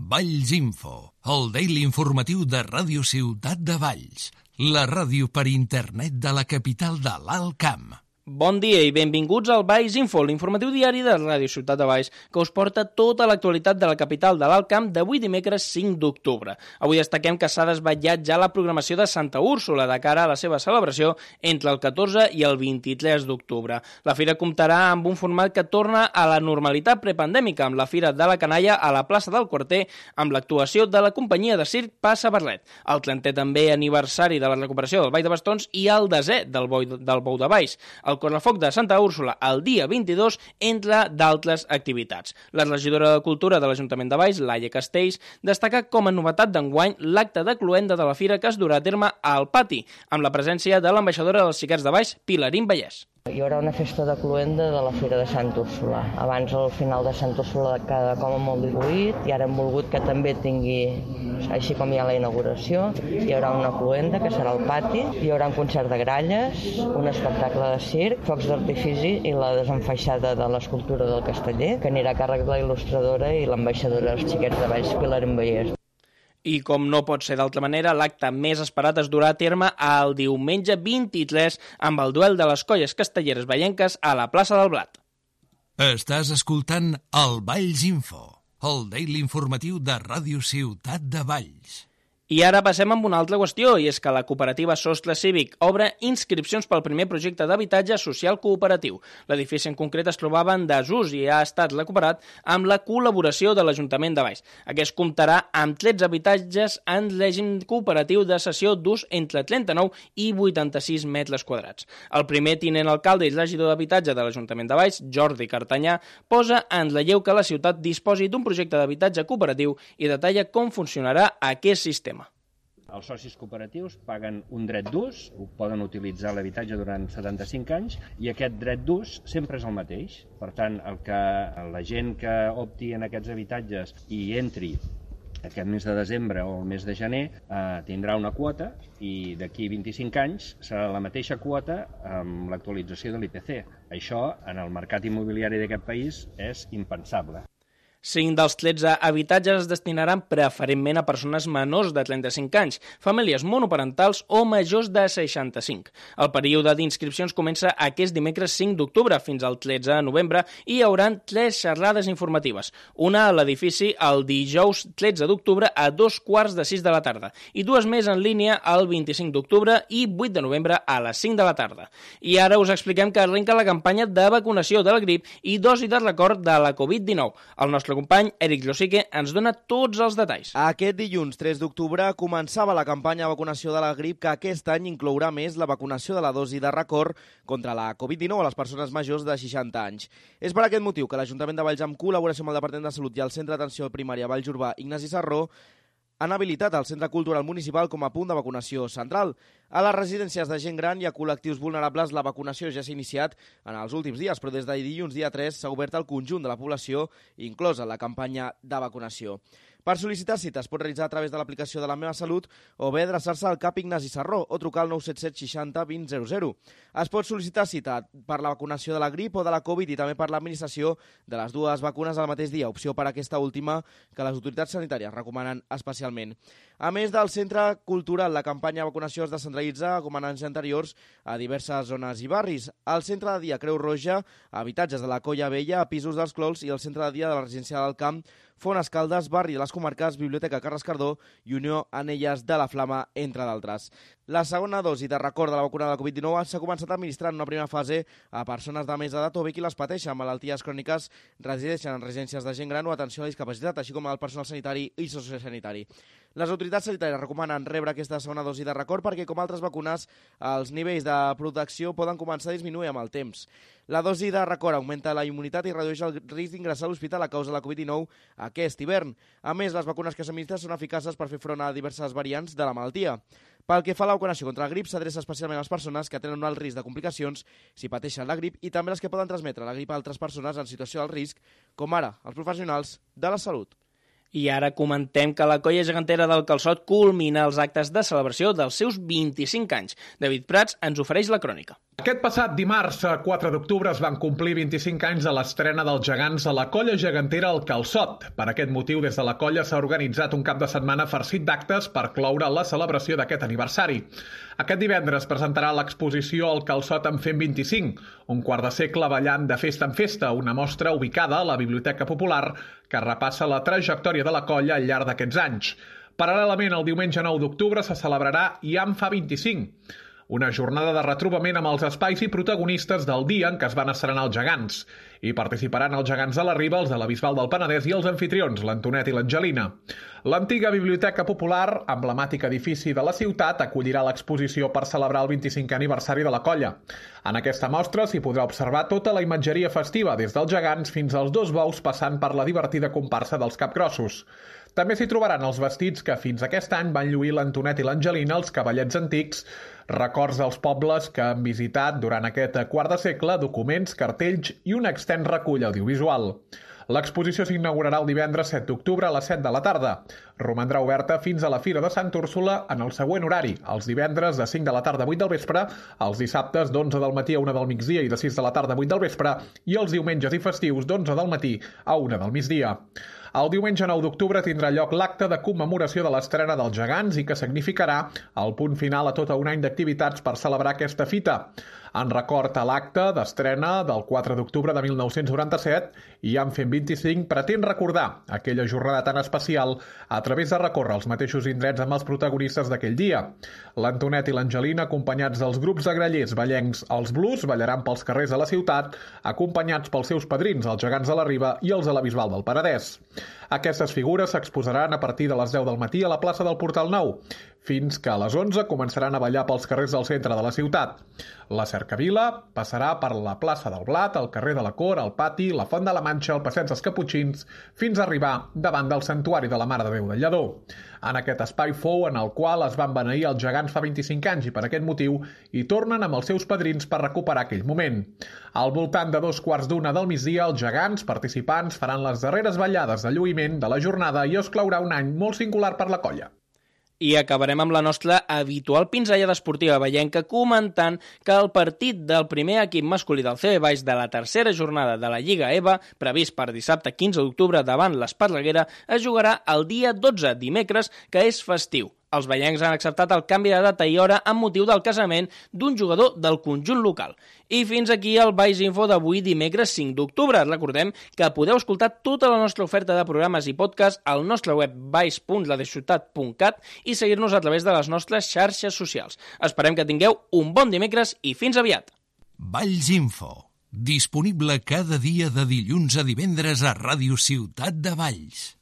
Valls Info, el daily informatiu de Ràdio Ciutat de Valls, la ràdio per internet de la capital de l'Alt Camp. Bon dia i benvinguts al Valls Info, l'informatiu diari de Ràdio Ciutat de Valls, que us porta tota l'actualitat de la capital de l'Alt Camp d'avui dimecres 5 d'octubre. Avui destaquem que s'ha desvetllat ja la programació de Santa Úrsula de cara a la seva celebració entre el 14 i el 23 d'octubre. La fira comptarà amb un format que torna a la normalitat prepandèmica, amb la Fira de la Canalla a la plaça del Quarter, amb l'actuació de la companyia de circ Passa Barlet. El 30è també aniversari de la recuperació del Ball de Bastons i el 10è del Bou de Valls. El Correfoc de Santa Úrsula el dia 22, entre d'altres activitats. La regidora de Cultura de l'Ajuntament de Valls, Laia Castells, destaca com a novetat d'enguany l'acte de cloenda de la fira que es durà a terme al pati, amb la presència de l'ambaixadora dels Xiquets de Valls, Pilarín Vallès. Hi haurà una festa de cloenda de la Fira de Santa Úrsula. Abans el final de Santa Úrsula quedava com molt diluït i ara hem volgut que també tingui, així com hi ha la inauguració, hi haurà una cloenda que serà al pati, hi haurà un concert de gralles, un espectacle de circ, focs d'artifici i la desenfaixada de l'escultura del Casteller, que anirà a càrrec de la il·lustradora i l'ambaixadora dels Xiquets de Valls, Pilarín Vallès. I com no pot ser d'altra manera, l'acte més esperat es durà a terme el diumenge 23 amb el duel de les colles castelleres vallenques a la plaça del Blat. Estàs escoltant el Valls Info, el daily informatiu de Ràdio Ciutat de Valls. I ara passem amb una altra qüestió, i és que la cooperativa Sostre Cívic obre inscripcions pel primer projecte d'habitatge social cooperatiu. L'edifici en concret es trobava en desús i ha estat recuperat amb la col·laboració de l'Ajuntament de Valls. Aquest comptarà amb 13 habitatges en règim cooperatiu de cessió d'ús entre 39 i 86 metres quadrats. El primer tinent alcalde i regidor d'habitatge de l'Ajuntament de Valls, Jordi Cartanyà, posa en relleu que la ciutat disposi d'un projecte d'habitatge cooperatiu i detalla com funcionarà aquest sistema. Els socis cooperatius paguen un dret d'ús, poden utilitzar l'habitatge durant 75 anys i aquest dret d'ús sempre és el mateix. Per tant, la gent que opti en aquests habitatges i entri aquest mes de desembre o el mes de gener tindrà una quota i d'aquí 25 anys serà la mateixa quota amb l'actualització de l'IPC. Això, en el mercat immobiliari d'aquest país, és impensable. 5 dels 13 habitatges es destinaran preferentment a persones menors de 35 anys, famílies monoparentals o majors de 65. El període d'inscripcions comença aquest dimecres 5 d'octubre fins al 13 de novembre i hi haurà 3 xerrades informatives. Una a l'edifici el dijous 13 d'octubre a 2:45 de la tarda i 2 més en línia el 25 d'octubre i 8 de novembre a les 5 de la tarda. I ara us expliquem que arrenca la campanya de vacunació de la grip i dosi de record de la Covid-19. El nostre company, Eric Josique, ens dona tots els detalls. Aquest dilluns 3 d'octubre començava la campanya de vacunació de la grip, que aquest any inclourà més la vacunació de la dosi de record contra la Covid-19 a les persones majors de 60 anys. És per aquest motiu que l'Ajuntament de Valls, amb col·laboració amb el Departament de Salut i el Centre d'Atenció Primària Valls Urbà Ignasi Sarró, han habilitat el Centre Cultural Municipal com a punt de vacunació central. A les residències de gent gran i a col·lectius vulnerables la vacunació ja s'ha iniciat en els últims dies, però des de dilluns dia 3 s'ha obert al conjunt de la població, inclosa la campanya de vacunació. Per sol·licitar cita es pot realitzar a través de l'aplicació de La Meva Salut o bé adreçar-se al CAP Ignasi Sarró o trucar al 977 60 20 00. Es pot sol·licitar cita per la vacunació de la grip o de la Covid i també per l'administració de les dues vacunes al mateix dia, opció per a aquesta última que les autoritats sanitàries recomanen especialment. A més del centre cultural, la campanya de vacunació es descentralitza, com en anys anteriors, a diverses zones i barris. Al centre de dia Creu Roja, habitatges de la Colla Vella, a pisos dels Clols i al centre de dia de la residència del Camp, Font Escaldes, barri de les Comarques, Biblioteca Carles Cardó i Unió Anelles de la Flama, entre d'altres. La segona dosi de record de la vacuna de la Covid-19 s'ha començat a administrar en una primera fase a persones de més edat o bé qui les pateixen, malalties cròniques, resideixen en residències de gent gran o atenció a la discapacitat, així com al personal sanitari i sociosanitari. Les autoritats sanitàries recomanen rebre aquesta segona dosi de record perquè, com altres vacunes, els nivells de protecció poden començar a disminuir amb el temps. La dosi de record augmenta la immunitat i redueix el risc d'ingressar a l'hospital a causa de la Covid-19 aquest hivern. A més, les vacunes que s'administren són eficaces per fer front a diverses variants de la malaltia. Pel que fa a la vacunació contra la grip, s'adreça especialment a les persones que tenen un alt risc de complicacions si pateixen la grip i també les que poden transmetre la grip a altres persones en situació d'alt risc, com ara els professionals de la salut. I ara comentem que la colla gegantera del Calçot culmina els actes de celebració dels seus 25 anys. David Prats ens ofereix la crònica. Aquest passat dimarts, 4 d'octubre, es van complir 25 anys de l'estrena dels gegants a la colla gegantera El Calçot. Per aquest motiu, des de la colla s'ha organitzat un cap de setmana farcit d'actes per cloure la celebració d'aquest aniversari. Aquest divendres presentarà l'exposició El Calçot en fent 25, un quart de segle ballant de festa en festa, una mostra ubicada a la Biblioteca Popular que repassa la trajectòria de la colla al llarg d'aquests anys. Paral·lelament, el diumenge 9 d'octubre se celebrarà I en fa 25, una jornada de retrobament amb els espais i protagonistes del dia en què es van estrenar els gegants. Hi participaran els gegants de la Riba, els de la Bisbal del Penedès i els anfitrions, l'Antonet i l'Angelina. L'antiga Biblioteca Popular, emblemàtic edifici de la ciutat, acollirà l'exposició per celebrar el 25è aniversari de la colla. En aquesta mostra s'hi podrà observar tota la imatgeria festiva, des dels gegants fins als dos bous passant per la divertida comparsa dels capgrossos. També s'hi trobaran els vestits que fins aquest any van lluir l'Antonet i l'Angelina, els cavallets antics, records dels pobles que han visitat durant aquest quart de segle, documents, cartells i un extens recull audiovisual. L'exposició s'inaugurarà el divendres 7 d'octubre a les 7 de la tarda. Romandrà oberta fins a la Fira de Sant Úrsula en el següent horari, els divendres de 5 de la tarda a 8 del vespre, els dissabtes d'11 del matí a 1 del migdia i de 6 de la tarda a 8 del vespre, i els diumenges i festius d'11 del matí a 1 del migdia. El diumenge 9 d'octubre tindrà lloc l'acte de commemoració de l'estrena dels gegants i que significarà el punt final a tot un any d'activitats per celebrar aquesta fita. En record a l'acte d'estrena del 4 d'octubre de 1997, I en fent 25 pretén recordar aquella jornada tan especial a través de recórrer els mateixos indrets amb els protagonistes d'aquell dia. L'Antonet i l'Angelina, acompanyats dels grups de grallers ballencs Els Blues, ballaran pels carrers de la ciutat, acompanyats pels seus padrins, els gegants de la Riba i els de la Bisbal del Penedès. Aquestes figures s'exposaran a partir de les 10 del matí a la plaça del Portal Nou, fins que a les 11 començaran a ballar pels carrers del centre de la ciutat. La cercavila passarà per la plaça del Blat, el carrer de la Cor, el Pati, la Font de la Manxa, el Passeig dels Caputxins, fins a arribar davant del Santuari de la Mare de Déu del Lledó. En aquest espai fou en el qual es van beneir els gegants fa 25 anys i per aquest motiu hi tornen amb els seus padrins per recuperar aquell moment. Al voltant de 2:15 del migdia, els gegants participants faran les darreres ballades de lluïment de la jornada i es claurà un any molt singular per la colla. I acabarem amb la nostra habitual pinzellada esportiva veienca comentant que el partit del primer equip masculí del CB Baix de la tercera jornada de la Lliga EVA, previst per dissabte 15 d'octubre davant l'Esparreguera, es jugarà el dia 12, dimecres, que és festiu. Els veiencs han acceptat el canvi de data i hora amb motiu del casament d'un jugador del conjunt local. I fins aquí el Baix Info d'avui, dimecres 5 d'octubre. Recordem que podeu escoltar tota la nostra oferta de programes i podcast al nostre web baix.ladeciutat.cat i seguir-nos a través de les nostres xarxes socials. Esperem que tingueu un bon dimecres i fins aviat. Valls Info, disponible cada dia de dilluns a divendres a Ràdio Ciutat de Valls.